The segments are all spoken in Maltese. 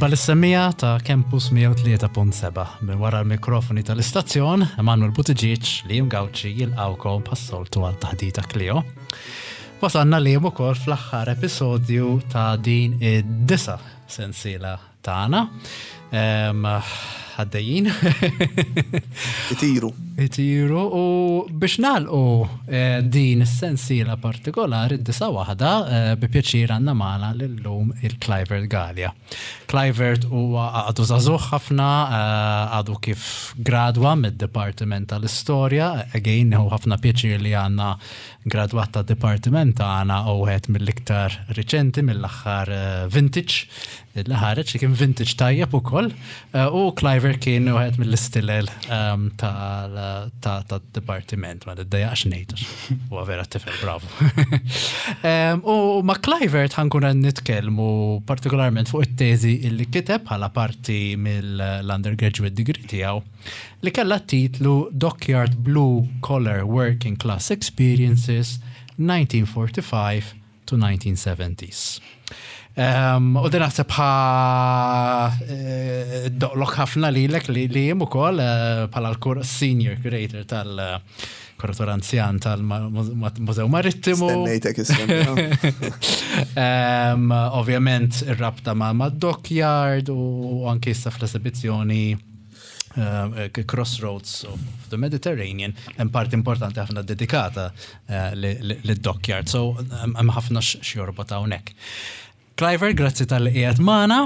Merħba lis-semmiegħa ta' Campus 103.7. Minn wara l-mikrofoni tal-istazzjon, Emanuel Buttigieg, Liam Gauci jilqgħukom bħas-soltu għal taħdita Clio. Wasalna Liam ukoll fl-aħħar episodju ta' din id-disa' sensiela tagħna. Għaddejjin. Itiru. Itiru u biex nagħlqu eh, din is-sensiela partikolari d-disa waħda eh, bi pjaċir għandna magħna lillum il-Clivert Galea. Clivert huwa għadu żagħżugħ ħafna, eh, għadu kif gradwa mid-Dipartiment tal-Istorja, again hu ħafna pjaċir li għandna gradwat tad-dipartiment tagħna u wieħed mill-iktar riċenti mill-aħħar vintage li ħareġ li kien vintage tajjeb ukoll eh, u Cliver kien wieħed mill-istilel ehm, tad-dipartiment ma niddejjaqx ngħid huwa vera tifel bravo. Ehm, u ma' Cliver ħankun qed nitkellmu partikolarment fuq it-teżi li kiteb bħala parti mill-undergraduate degree tiegħu li kellha t-titlu Dockyard Blue Collar Working Class Experiences 1945 to 1970s. Um, u din naħseb ħa eh, doqlok ħafna lilek li li jiem ukoll eh, bħala l-senior curator tal-kurator anzjan tal-Mużew Marittimu. Stennejtek um, Ovvjament ir-rabta ma' dockyard u anki issa fl-esibizzjoni eh, Crossroads of the Mediterranean, hemm parti importanti ħafna dedikata eh, lid-dockyard, so hemm ħafna x'jorbot hawnhekk. Cliver, grazzi tal-li qiegħed magħna.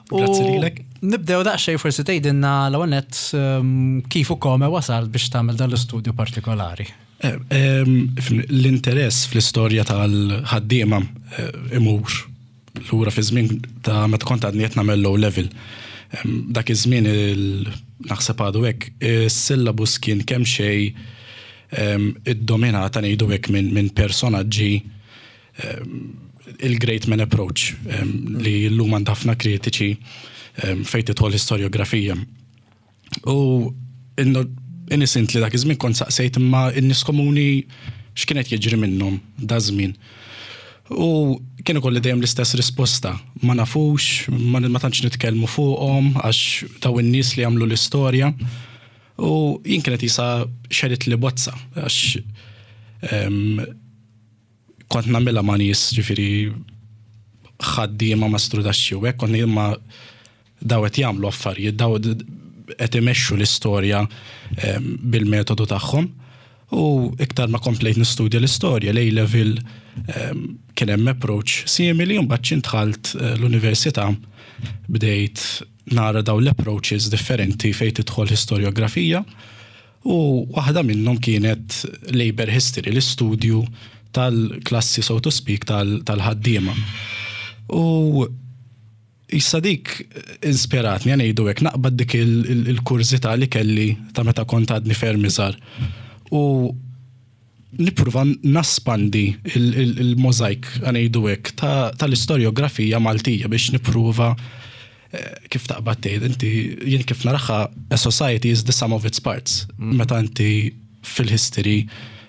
Grazzi lilek. Nibdew daqsxejn forsi tgħidilna l-ewwel nett ehm, kif u kome wasal biex tagħmel dan l-istudju partikolari. Eh, ehm, l-interess fl-istorja tal-ħaddiema eh, imur lura fi żmien ta' meta kont għadni qed nagħmel low level. Dak iż-żmien naħseb għadu hekk, is-syllabus kien kemm xejn iddominata ngħidu hekk minn personaġġi il-great man approach li llum għand ħafna kritiċi fejn tidħol l-istorjografija. U innocently dak iż-żmien kont saqsejt imma n-nies komuni x'kien qed jiġri minnhom da żmien. U kien ikolli dejjem l-istess risposta, ma nafux, ma, ma tantx nitkellmu fuqhom għax daw in-nies li għamlu l-istorja. U jien kienet jisa xerit li bozza għax kont nagħmilha ma' nies ġifieri ħaddiema ma' strudaxxi u hekk kont ngħid ma' daw qed jagħmlu affarijiet, daw qed imexxu l-istorja ehm, bil-metodu tagħhom. U iktar ma komplejt nistudja l-istorja, l level ehm, kien hemm approach simili, u mbagħad xi dħalt eh, l-università bdejt nara daw l-approaches differenti fejn tidħol historiografija u waħda minnhom kienet labor history, l-istudju tal-klassi so to speak tal-ħaddiema. U issa dik inspiratni ngħidu hekk naqbad dik il-kurżità li kelli ta' meta kont għadni ferm iżgħar. U nipprova naspandi il-mozaik ngħidu hekk tal-istorjografija Maltija biex nipprova eh, kif taqbad tgħid inti jien kif naraha a society is the sum of its parts. Mm. Meta inti fil-history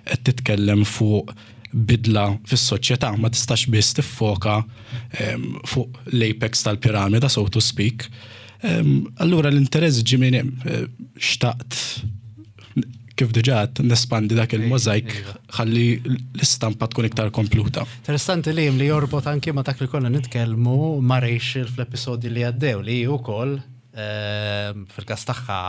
qed titkellem fuq bidla fis-soċjetà ma tistax biss tiffoka ehm, fuq l-apex tal-piramida so to speak. Ehm, allura l-interess ġie minn hemm eh, xtaqt kif diġà nespandi dak il-mozaik ħalli l-istampa tkun iktar kompluta. Interessanti li li jorbot anki ma dak li konna nitkellmu ma' Rachel fl-episodji li għaddew li wkoll ehm, fil-każ tagħha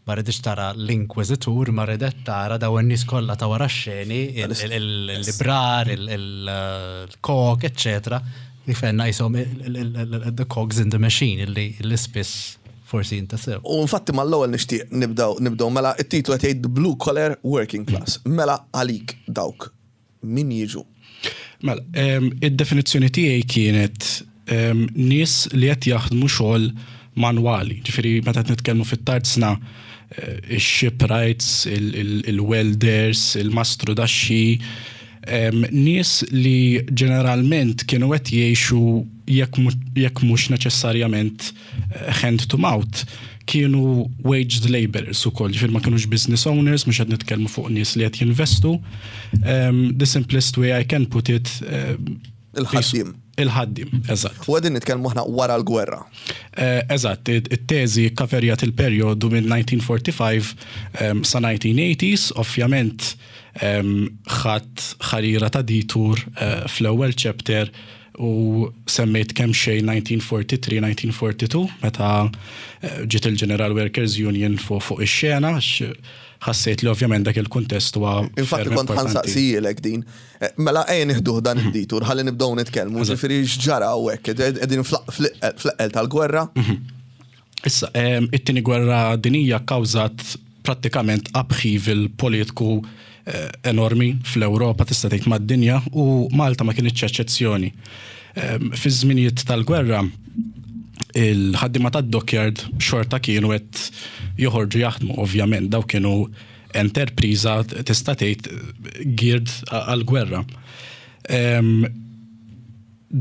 ma riditx tara l-inkwiżitur, ma ridet tara daw in-nies kollha ta' wara x-xeni, il-librar, il-kok, eċċetera, li fenna jisom the cogs in the machine illi spiss forsi jintasew. U infatti mal-ewwel nixtieq nibdew nibdew mela it-titlu qed jgħid Blue Collar Working Class. Mela għalik dawk min jiġu? Mela, id-definizzjoni tiegħi kienet nies li qed jaħdmu xogħol manwali. Ġifieri meta qed nitkellmu fit-tarzna eh, ix-shipwrights, il-welders, il-mastru daxxi, nies li ġeneralment kienu qed jgħixu jekk mhux neċessarjament hand to mouth kienu waged laborers ukoll, ġifieri ma kinux business owners, mhux qed nitkellmu fuq nies li qed jinvestu. Um, the simplest way I can put it il-ħaddiem. Il-ħaddiem, eżatt. U qegħdin nitkellmu aħna wara l-gwerra. Eżatt, it-teżi kkaverjat il-perjodu minn 1945 sa 1980s, ovvjament ħadt ħarira ta' detour fl-ewwel chapter u semmejt kemxejn 1943, 1942 meta ġiet il-General Workers Union fuq ix-xena għax ħassejt li ovvjament dak il-kuntest huwa Infatti kont ħa nsaqsihielek din. Mela ejja nieħduh dan id-detour ħalli nibdew nitkellmu, ġifieri x'ġara hawnhekk, qegħdin fl-eqqel tal-gwerra. Issa, it-tieni gwerra dinjija kkawżat prattikament upheaval politiku enormi fl-Ewropa, tista' tgħid mad-dinja, u Malta ma kinitx eċċezzjoni. Fiż-żminijiet tal-gwerra, il-ħaddiema tad-dockyard xorta kienu qed joħorġu jaħdmu, ovvjament, daw kienu enterpriża tista' tgħid geared għall-gwerra.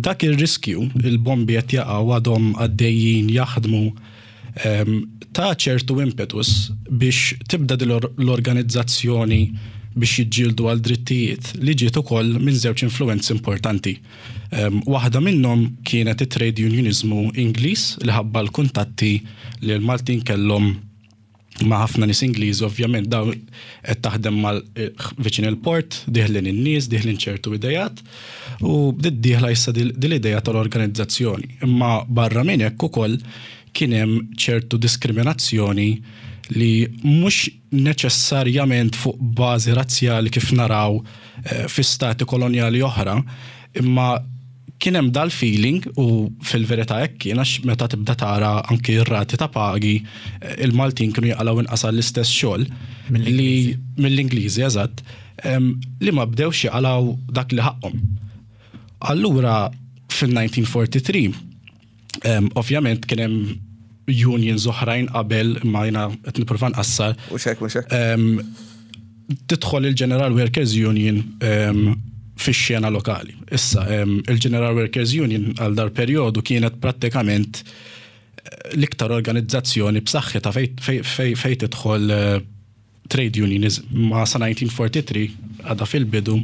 Dak ir-riskju, il-bombi qed jaqgħu għadhom għaddejjin jaħdmu, ta ċertu impetus biex tibda din l-organizzazzjoni biex jiġġieldu għal drittijiet li ġiet ukoll minn żewġ influwenzi importanti. Waħda minnhom kienet it-trade unioniżmu Ingliż li ħabba l-kuntatti li l-Maltin kellhom ma' ħafna nies Ingliżi ovvjament dawn qed taħdem mal viċin il-port, dieħlin in-nies, dieħlin ċertu idejat u bdiet dieħla issa din l-idea tal-organizzazzjoni. Imma barra minn hekk ukoll kien hemm ċertu diskriminazzjoni li mhux neċessarjament fuq bażi razzjali kif naraw fi stati kolonjali oħra, imma kien hemm dal-feeling u fil-verità hekk kien għax meta tibda tara anki r-rati ta' pagi il-Maltin kienu jaqalgħu inqas għall-istess xogħol li mill-Ingliżi eżatt li ma bdewx jaqalgħu dak li ħaqqhom. Allura fil-1943 ovvjament kien hemm unions oħrajn qabel imma jiena qed nipprova nqassar. Mhux hekk, mhux hekk. Tidħol il-General Workers Union fix-xena lokali. Issa, il-General Workers Union għal dar perjodu kienet prattikament l-iktar organizzazzjoni b'saħħitha fejn tidħol trade unionism. Ma sa 1943 għadha fil-bidu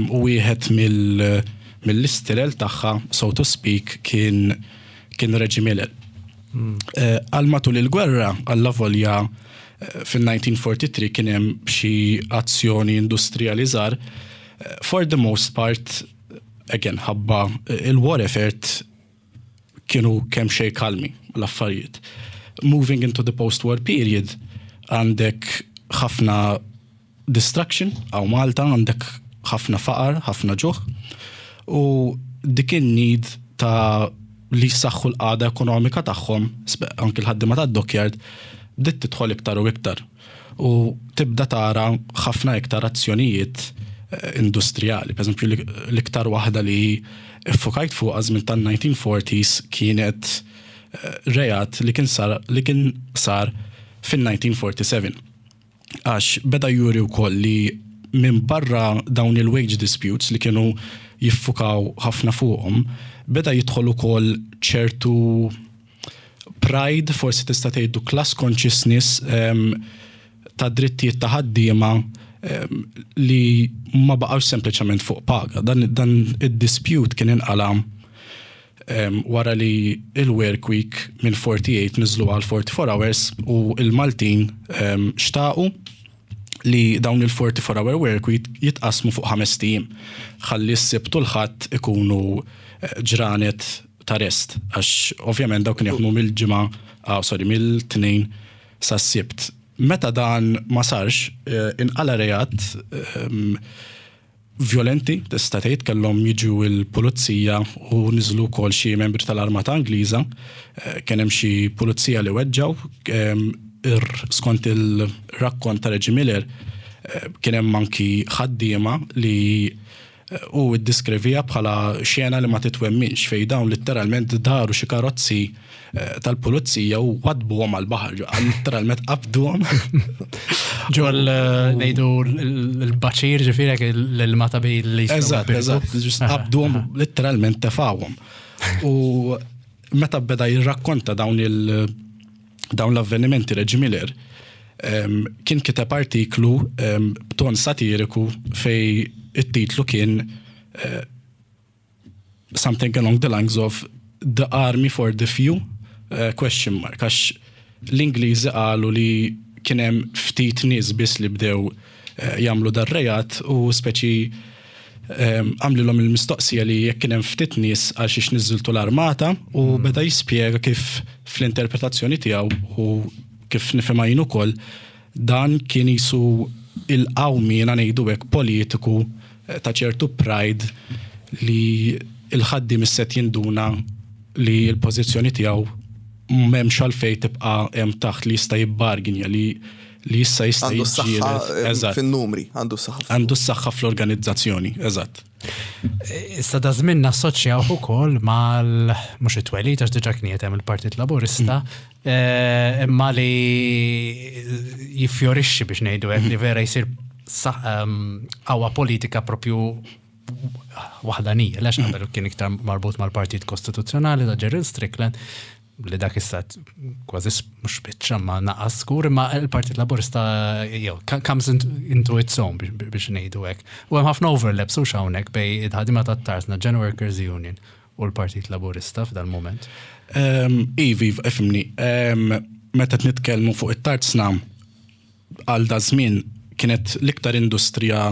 u wieħed mill-istilel tagħha, so to speak, kien kien Reggie Miller. Għal matul il-gwerra, allavolja fil-1943 kien hemm xi azzjoni industrijali żgħar, for the most part, again, ħabba il-war effort kienu kemm xejn kalmi l-affarijiet. Moving into the post-war period, għandek ħafna destruction hawn Malta, għandek ħafna faqar, ħafna ġuħ, u dik in-need ta' li jsaħħu l-qagħda ekonomika tagħhom, anki l-ħaddiema tad-dockyard, bdiet tidħol iktar u iktar. U tibda tara ħafna iktar azzjonijiet industrijali. Per eżempju, l-iktar waħda li ffukajt fuqha żmien tan-1940s kienet reat li kien sar li kien sar fin-1947. Għax beda juri wkoll li minn barra dawn il-wage disputes li kienu jiffukaw ħafna fuqhom, beda jidħol ukoll ċertu pride, forsi tista' tgħidu class consciousness ta' drittijiet ta' ħaddiema li ma baqgħux sempliċement fuq paga. Dan, dan id-dispute kien inqala wara li il-work week minn 48 niżlu għal 44 hours u il-Maltin xtaqu li dawn il-44 hour work week jitqasmu fuq 5 ijiem. Ħalli s-Sibt u l-Ħadd ikunu ġranet ta' rest, għax ovvjament dawk kienu jaħdmu mill-Ġimgħa, ah, sorry, mill-Tnejn sas-Sibt. Meta dan ma sarx, inqala reat violenti, tista' tgħid, kellhom jiġu l-pulizija u niżlu wkoll xi membri tal-Armata Ingliża. Kien hemm xi pulizija li weġġgħu, skont il-rakkont ta' Reggie Miller, kien hemm anki ħaddiema li Hu ddiskrivieha bħala xena li ma titwemminx fejn dawn litteralment daru xi karozzi tal-pulizija u waddbuhom għall-baħar, litteralment qabduhom. Ġo ngħidu l-baċir ġifieri hekk l-ilma ta' bejn li Eżatt, eżatt, ġust qabduhom litteralment tefgħuhom. U meta beda jirrakkonta dawn il- dawn l-avvenimenti Reggie Miller kien kiteb artiklu b'ton satiriku fej it-titlu kien something along the lines of the army for the few eh, question mark għax l-Ingliżi qalu li kien hemm ftit nies biss li bdew eh, jagħmlu dar-reat u speċi ehm, għamlilhom il-mistoqsija li jekk kien hemm ftit nies għal xiex niżżiltu l-armata u mm. beda jispjega kif fl-interpretazzjoni tiegħu u kif nifhimha jien ukoll dan kien jisu il-qawmien ngħidu hekk politiku eh, ta' ċertu pride li il-ħaddiem isset jinduna li l-pożizzjoni tiegħu m'hemmx għalfejn tibqa' hemm taħt li jista' jibbarginja li li issa jista' Għandu s-saħħa eh, fin-numri, għandu s-saħħa. Għandu s-saħħa fl-organizzazzjoni, eżatt. Issa da żmien nassoċjaw ukoll mal mhux it-twelid għax diġà kien hemm il-Partit Laburista, mm. eh, imma li jiffjorixxi biex ngħidu hekk li vera jsir ehm, qawwa politika propju waħdanija, lex qabel kien iktar marbut mal-Partit Kostituzzjonali ta' Gerald Strickland, li dak issa kważi mhux biċċa ma naqas skur, imma il-Partit Laburista jew comes into its own biex ngħidu hekk. U hemm ħafna overlaps u hawnhekk bej id-ħadima tat-Tarsna, General Workers Union u l-Partit Laburista f'dal moment. Ehm, ivi, ifimni, ehm, meta nitkellmu fuq it-Tarsna, għal da żmien kienet l-iktar industrija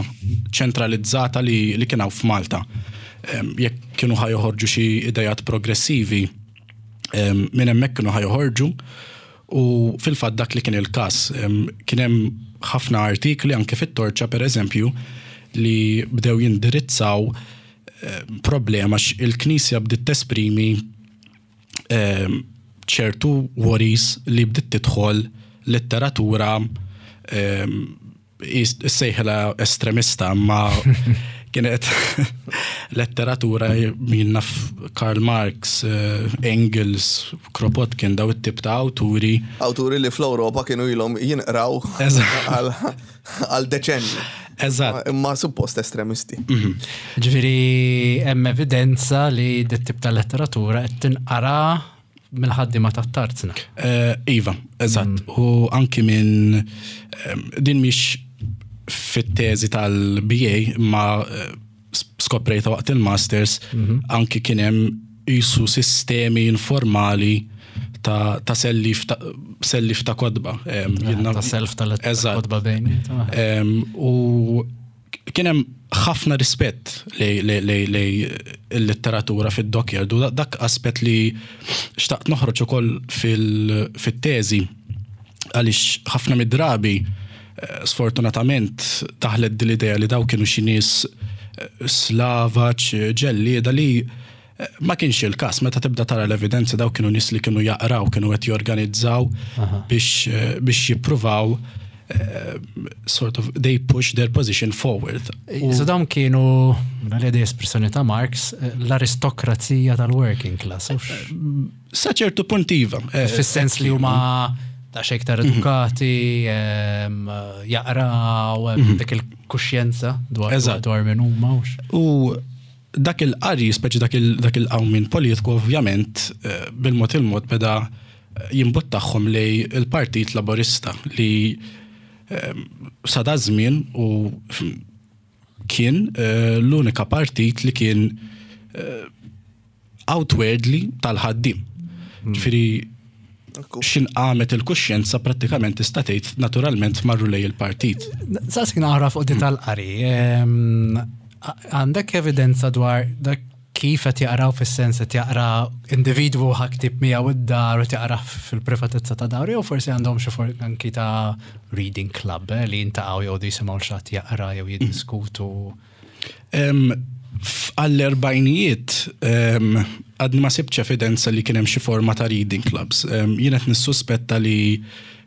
ċentralizzata li, li kien hawn f'Malta. Jekk kienu ħa joħorġu xi idejat progressivi, minn hemmhekk kienu ħa joħorġu u fil-fatt dak li kien il-każ. Kien hemm ħafna artikli anke fit-Torċa pereżempju li bdew jindirizzaw problema il-Knisja bdiet tesprimi Ehm, ċertu worries li bdiet tidħol letteratura ehm, sejħela estremista ma kienet letteratura minn naf Karl Marx, eh, Engels, Kropotkin, daw it-tip ta' awturi. Awturi li fl-Ewropa kienu ilhom jinqraw għal deċenni. Eżatt. Imma suppost estremisti. Mhm. Ġifieri hemm evidenza li dit tip ta' letteratura qed tinqara mill-ħaddiema tat-tarzna. Eh, iva, eżatt. Mm. U anki minn eh, din mhix fit-teżi tal-BA ma eh, skoprejta waqt il-masters mhm. anki kien hemm jisu sistemi informali ta', ta sellif ta', sellif ta' kodba. Ta' self tal-kodba bejni. U kien hemm ħafna rispett lej il-letteratura fid-dockyard u dak aspett li xtaqt noħroġ ukoll fil-teżi għaliex ħafna mid-drabi eh, sfortunatament daħlet din l-idea li daw kienu xi nies eh, slavaċ, ġellieda li Ma kienx il-każ, meta tibda tara l-evidenza daw kienu nies li kienu jaqraw, kienu qed jorganizzaw biex eh, biex jippruvaw eh, sort of they push their position forward. So dawn kienu, li espressjoni ta' Marx, eh, l-aristokrazija tal-working class. Sa ċertu punt iva. Fis-sens li huma ta' xejn iktar mhm. edukati, ehm, jaqraw, mhm. dik il-kuxjenza dwar dwar minn huma. U Dak il-qari, speċi dak il-qawmien politiku ovvjament eh, bil-mod il-mod beda eh, jimbuttahom lej il-Partit Laburista li eh, sa da żmien u kien l-unika partit li kien outwardly tal-ħaddiem. Hmm. Ġifieri xin qamet il-kuxjenza prattikament tista' tgħid naturalment marru lej il-partit. Saqsik naqra fuq di tal-qari. Ehm, għandek evidenza dwar dak kif qed jaqraw fis-sens qed jaqra individwu ħa ktib miegħu id-dar u jaqra fil-privatezza ta' dar jew forsi għandhom xi anki ta' reading club eh, li jintaqgħu jew jisimgħu xi jaqra jew jiddiskutu. Għall-erbajnijiet għadni ma sibtx evidenza li kien hemm xi forma ta' reading clubs. Jien qed nissuspetta li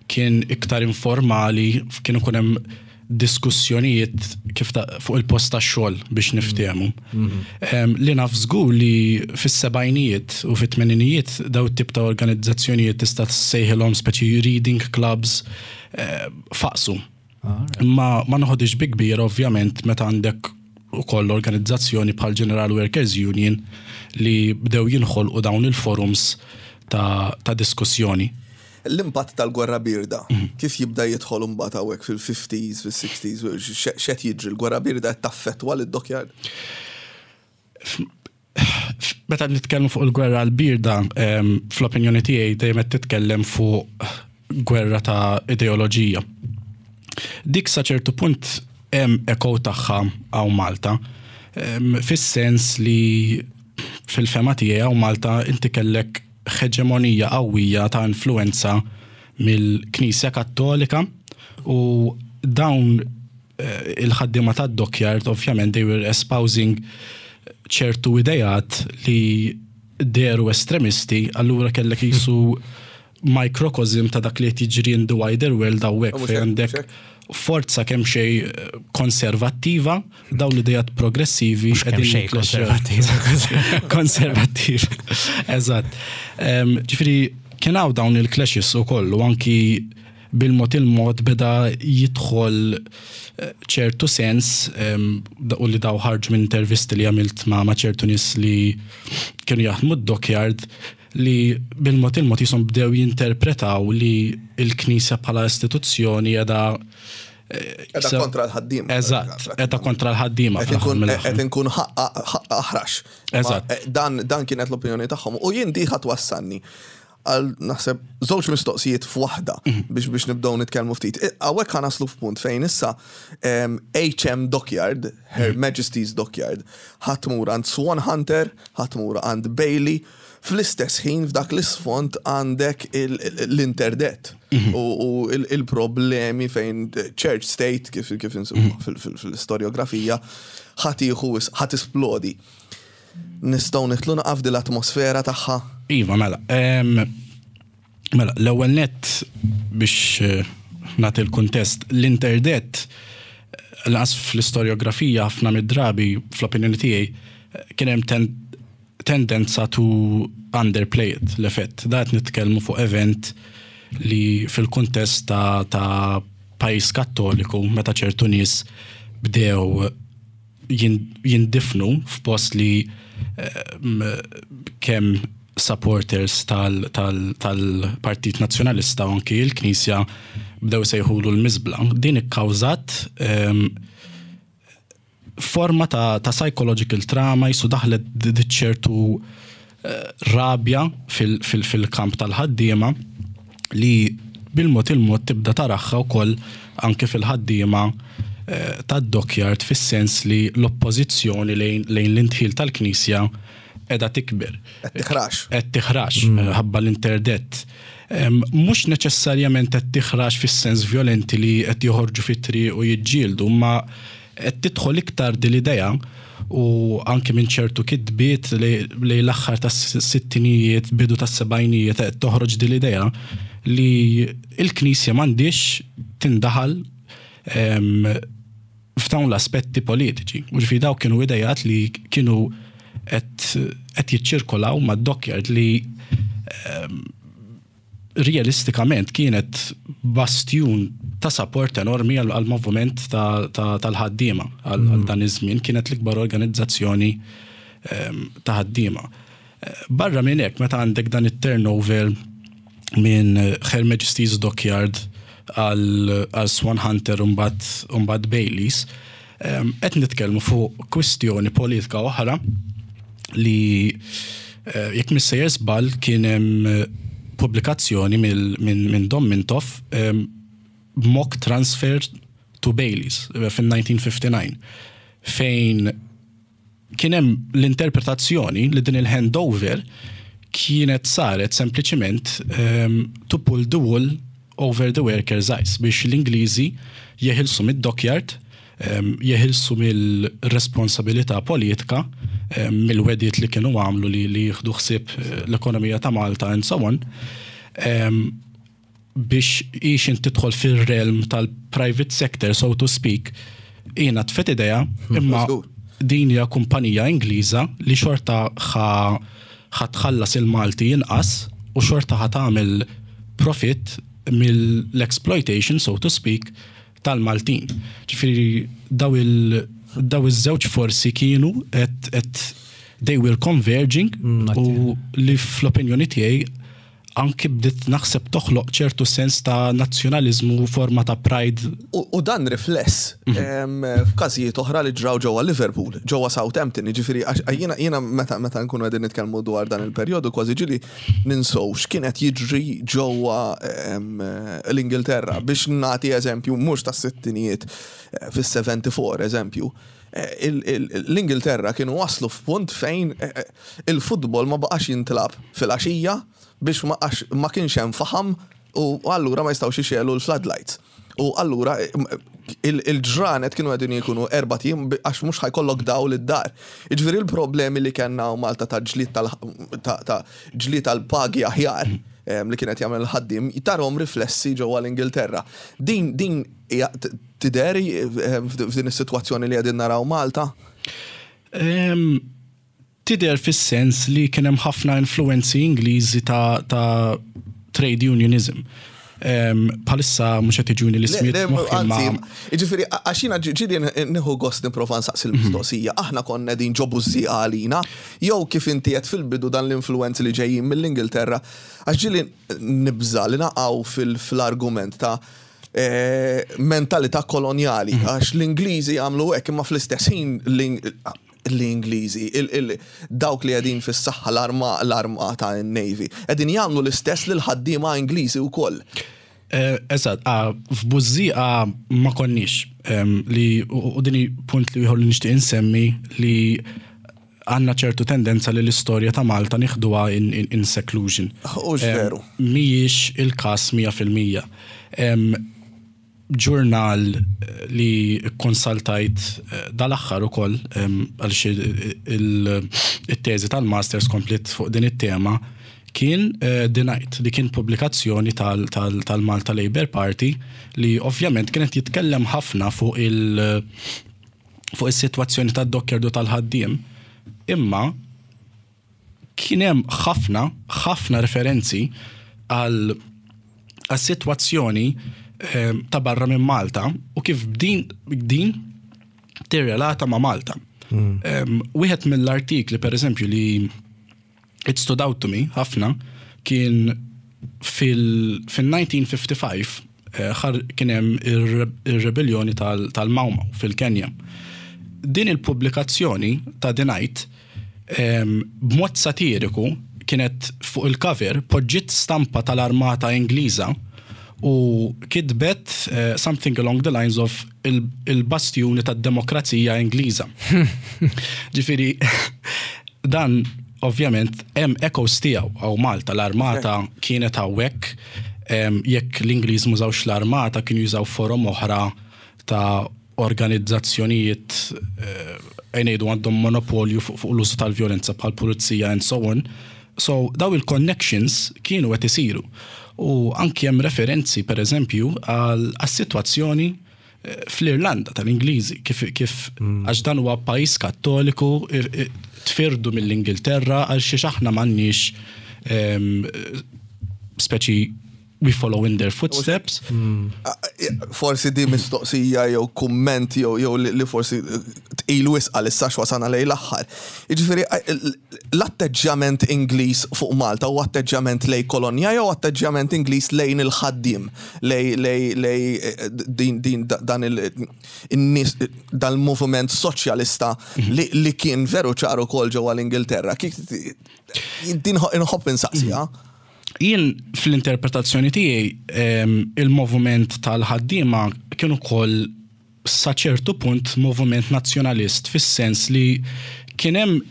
kien iktar informali, kien ikun hemm diskussjonijiet kif ta' fuq il-post tax-xogħol biex niftehmu. Mhm. Li naf żgur li fis-sebgħinijiet u fit-tmeninijiet daw it-tip ta' organizzazzjonijiet tista' ssejħilhom speċi reading clubs eh, faqsu. Imma ma noħodix bi kbir ovvjament meta għandek ukoll organizzazzjoni bħal General Workers Union li bdew jinħolqu dawn il-forums ta', ta diskussjoni. L-impatt tal-gwerra birda, mhm. kif jibda jidħol imbagħad hawnhekk fil-50s, fil-60s, x'qed jiġri l-gwerra birda qed taffettwa lid-dockyard? Meta nitkellmu fuq il-gwerra l-birda, fl-opinjoni tiegħi dejjem qed titkellem fuq gwerra ta' ideoloġija. Dik sa ċertu punt hemm echo tagħha hawn Malta. Fis-sens li fil-fehma tiegħi hawn Malta inti kellek ħeġemonija qawwija ta' influwenza mill-Knisja Kattolika u dawn il-ħaddiema tad-dockyard ovvjament they were espousing ċertu ideat li dehru estremisti, allura kellek qisu microcosm ta' dak li qed jiġri in the wider world hawnhekk fejn għandek forza kemm xejn konservattiva, dawn l-idejat progressivi. Mhux kemm xejn konservattiva. Konservattiv, eżatt. Ġifieri kien hawn dawn il-clashes ukoll u anki bil-mod il-mod beda jidħol ċertu sens u li daw ħarġu minn intervisti li għamilt ma' ċertu nies li kienu jaħdmu d-dockyard li bil-mod il-mod jisom bdew jinterpretaw li l-Knisja bħala istituzzjoni qiegħda Qiegħda kontra l-ħaddiema. Eżatt, qiegħda kontra l-ħaddiema. Qed inkun aħrax. Eżatt. Dan kienet l-opinjoni tagħhom u jien di ħa twassalni għal naħseb żewġ mistoqsijiet f'waħda mhm. biex biex nibdew nitkellmu ftit. Hawnhekk ħa naslu f'punt fejn issa HM Dockyard, Her mhm. Majesty's Dockyard, ħa tmur għand Swan Hunter, ħa tmur għand Bailey, fl-istess ħin f'dak l-isfond għandek l-interdet mhm. u il-problemi fejn church state kif kif insibu fil-istorjografija ħa tieħu ħa tisplodi. Nistgħu nidħlu naqaf din l-atmosfera tagħha? Iva, mela. Mela, l-ewwel nett biex eh, nagħti l-kuntest, l-interdett eh, lanqas fl-istorjografija ħafna mid-drabi fl-opinjoni tiegħi eh, kien hemm tendenza to underplay it l-effett. Da qed nitkellmu fuq event li fil-kuntest ta', ta pajjiż kattoliku meta ċertu nies bdew jindifnu f'post li kemm supporters tal-Partit Nazzjonalista u anki l-Knisja bdew sejħulu l-miżbla. Din ikkawżat forma ta' psychological trauma jisu daħlet ċertu rabja fil-kamp tal-ħaddiema li bil-mod il-mod tibda taraħħa wkoll anke fil-ħaddiema eh, tad-dockyard fis-sens li l-oppożizzjoni lejn l-indħil tal-Knisja qiegħda tikber. Qed tiħrax. Qed tiħrax mm. ħabba l-interdett. Mhux neċessarjament qed tiħrax fis-sens violenti li qed joħorġu fit-triq u jiġġieldu, ma Qed tidħol iktar din l-idea u anki minn ċertu kitbiet lejn l-aħħar tas-sittinijiet, bidu tas-sebgħinijiet qed toħroġ din l-idea li l-Knisja m'għandhiex tindaħal f'dawn l-aspetti politiċi. U ġifieri dawk kienu idejat li kienu qed jiċċirkolaw mad-dockyard li realistikament kienet bastjun ta' support enormi għall-moviment tal-ħaddiema għal mm. dan iż-żmien kienet l-ikbar organizzazzjoni ehm, ta' ħaddiema. Barra minn hekk meta għandek dan it-turnover minn Her Majesty's Dockyard għal Swan Hunter u mbagħad Baileys, ehm, qed nitkellmu fuq kwistjoni politika oħra li eh, jekk missejjer żball kien hemm eh, pubblikazzjoni minn Dom Mintoff ehm, mock transfer to Baileys eh, fin-1959 fejn kien hemm l-interpretazzjoni li din il-handover kienet saret sempliċiment ehm, to pull the wool over the workers' eyes biex l-Ingliżi jeħilsu mid-dockyard jeħilsu mill-responsabilità politika, mill-wegħdiet li kienu għamlu li li jieħdu ħsieb eh, l-ekonomija ta' Malta and so on, biex ixin tidħol fil-realm tal-private sector, so to speak, jiena tfet idea, hmm, imma din hija kumpanija Ingliża li xorta ħa tħallas il-Malti inqas u xorta ħa tagħmel profit mill-exploitation, so to speak, tal-Maltin. Ġifieri daw il daw iż-żewġ forsi kienu qed they were converging mm, u li fl-opinjoni tiegħi anki bdiet naħseb toħloq ċertu sens ta' nazzjonaliżmu u forma ta' pride. U dan rifless f'każijiet oħra li ġraw ġewwa Liverpool, ġewwa Southampton, jiġifieri għax jiena jiena meta meta nkunu qegħdin nitkellmu dwar dan il-perjodu kważi ġieli ninsew x'kien qed jiġri ġewwa l-Ingilterra. Biex nagħti eżempju mhux tas-sittinijiet, fis-74 eżempju, l-Ingilterra kienu waslu f'punt fejn il-futbol ma baqax jintlagħab filgħaxija biex ma għax ma kienx hemm faħam u allura ma jistgħux ixegħlu l-floodlights. U allura il-ġranet kienu qegħdin jkunu erbat ijiem għax mhux ħa jkollok dawl id-dar. Jiġifieri l-problemi li kellna hawn Malta ta' ġlied ta' ġlied għal pagi aħjar li kien qed jagħmel il-ħaddiem tarhom riflessi ġewwa l-Ingilterra. Din din tidher f'din is-sitwazzjoni li qegħdin naraw Malta? Tidher fis-sens li kien hemm ħafna influwenzi Ingliżi ta' ta' trade unionism. Bħalissa mhux qed jiġuni l-ismijiet f'moħħi imma. Jiġifieri għax jiena ġieli nieħu gost nipprova nsaqsi l-mistoqsija, aħna konna qegħdin ġo bużżieqa għalina jew kif inti għedt fil-bidu dan l-influwenzi li ġejjin mill-Ingilterra għax ġieli nibża' li naqgħu fl-argument ta' mentalità kolonjali għax l-Ingliżi għamlu hekk imma fl-istess ħin l-Ingliżi, dawk li qegħdin fis-saħħa l-armata n-Navy, qegħdin jagħmlu l-istess lill-ħaddiema Ingliżi wkoll. Eżatt, f'Bużżieqa ma konniex li u din hi punt li ieħor li nixtieq insemmi li għandna ċertu tendenza li l-istorja ta' Malta nieħduha in seclusion. Hux veru. Mhijiex il-każ 100%. Ġurnal li kkonsaltajt dal-aħħar ukoll għaliex it-teżi tal-masters kompliet fuq din it-tema kien The Night li kien pubblikazzjoni tal-Malta Labour Party li ovvjament kien qed jitkellem ħafna fuq il- fuq is-sitwazzjoni tad-dockyard u tal-ħaddiem imma Kien hemm ħafna, ħafna referenzi għal għas-sitwazzjoni ta' barra minn Malta u kif din din tirrelata ma' Malta. Wieħed mill-artikli pereżempju li it stood out to me ħafna kien fil-1955 kien hemm ir-rebelljoni tal-Mau Mau fil-Kenja. Din il-pubblikazzjoni ta' The Night b'mod satiriku kienet fuq il-cover poġġiet stampa tal-armata Ingliża u kitbet something along the lines of il-bastjuni tad-demokrazija Ingliża. Ġifieri dan ovvjament hemm echoes tiegħu hawn Malta, l-armata kienet hawnhekk, jekk l-Ingliż m'użawx l-armata kienu jużaw forom oħra ta' organizzazzjonijiet ejja ngħidu għandhom monopolju fuq l-użu tal-vjolenza bħal pulizija and so on. So daw il-connections kienu qed isiru. U anki hemm referenzi pereżempju għas-sitwazzjoni fl-Irlanda tal-Ingliżi kif kif għax dan huwa pajjiż Kattoliku tfirdu mill-Ingilterra għal xiex aħna m'għandniex speċi we follow in their footsteps. Forsi di mistoqsija jew kumment jew li forsi tqil wisq għalissa x'wasalna lejn l-aħħar. Jiġifieri l-atteġġjament Ingliż fuq Malta huwa atteġġjament lejn kolonja jew atteġġjament Ingliż lejn il-ħaddiem, lejn lejn lejn din din dan il-nies dal-moviment soċjalista li kien veru ċar ukoll ġewwa l-Ingilterra. Din inħobb insaqsiha. Jien fl-interpretazzjoni tiegħi il-moviment tal-ħaddiema kien ukoll sa ċertu punt moviment nazzjonalist fis-sens li kien hemm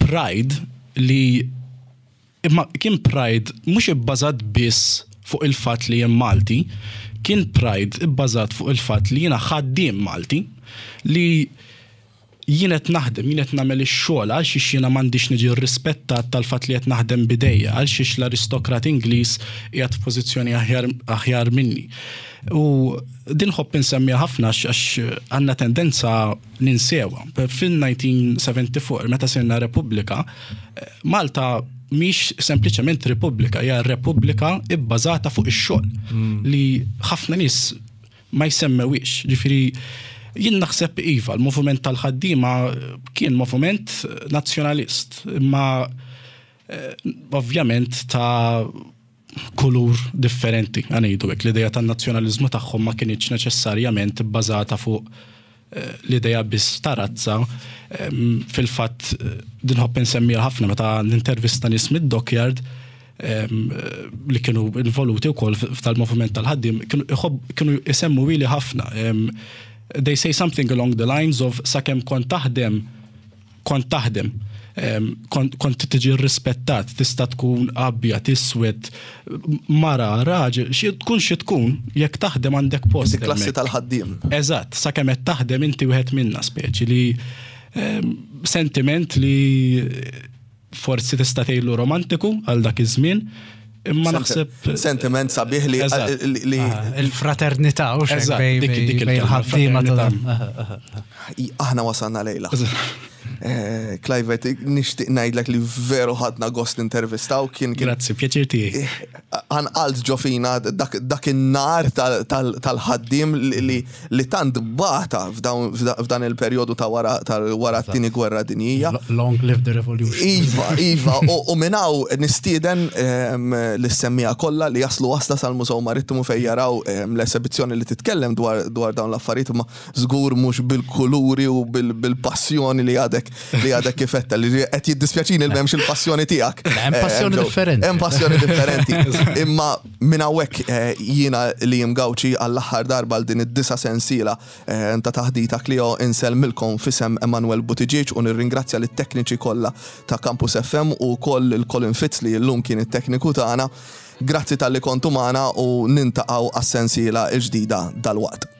pride li imma kien pride mhux ibbażat biss fuq il-fatt li jien Malti, kien pride ibbażat fuq il-fatt li jiena ħaddiem Malti li Jien qed naħdem, jien qed nagħmel ix-xogħol, għalxiex jiena m'għandix niġi rrispettat tal-fatt li qed naħdem b'idejja, għalxiex l-aristokrat Ingliż qiegħed f'pożizzjoni aħjar aħjar minni. U din nħobb insemmiha ħafna għax għax għandna tendenza ninsewha. Fil-1974 meta sirna Repubblika, Malta mhix sempliċement Repubblika, hija Repubblika bbażata fuq ix-xogħol li ħafna nies ma jsemmewhiex. Ġifieri jien naħseb iva, l-moviment tal-ħaddiema kien moviment nazzjonalist, imma eh, ovvjament ta' kulur differenti, ħa ngħidu hekk. L-idea tan-nazzjonaliżmu tagħhom ma kinitx neċessarjament bbażata fuq eh, l-idea biss ta' razza. Fil-fatt din nħobb insemmiha ħafna meta nintervista nies mid-dockyard li kienu involuti wkoll f'tal-moviment tal-ħaddiem, kienu isemmu ili ħafna. They say something along the lines of sakemm kont taħdem, kont taħdem. Kont tiġi rispettat, tista' tkun abjad, iswed, mara, raġel, xi tkun xi tkun, jekk taħdem għandek post. Inti klassi tal-ħaddiem. Eżatt, sakemm qed taħdem inti wieħed minna speċi li sentiment li forsi tista' tgħidlu romantiku għal dak iż-żmien, imma naħseb sentiment sabiħ li li ah, il-fraternità u xejn dik il-ħaddiema ta' Aħna wasalna lejla. Eh, Clive, nixtieq ngħidlek li veru ħadna gost intervistaw kien. Grazzi, pjaċir tiegħi. Eh, għanqalt ġo fina dak in-nar tal-ħaddiem li tant bata f'dan il-perjodu ta' wara wara t-tieni gwerra dinjija. Long live the revolution. Iva, iva, u minn hawn nistieden ehm, lis-semmiegħa kollha li jaslu wasla sal-Mużew Marittimu fejn jaraw ehm, l-esebizzjoni li titkellem dwar dawn l-affarijiet imma żgur mhux bil-kuluri u bil-passjoni li għadek li għadek kif għedtha, li qed jiddispjaċini li m'hemmx il-passjoni tiegħek. Hemm eh, passjoni differenti. Hemm passjoni differenti. Imma minn hawnhekk eh, jiena li jimgawċi għall-aħħar darba għal din id-disa sensiela eh, ta' taħdita Clio insellmilkom f'isem Emanuel Buttigieg u nirringrazzja lit-tekniċi kollha ta' Campus FM u wkoll lil Colin Fitz li llum kien it-tekniku tagħna. Grazzi talli kontu magħna u nintaqgħu għas-sensiela l-ġdida dalwaqt.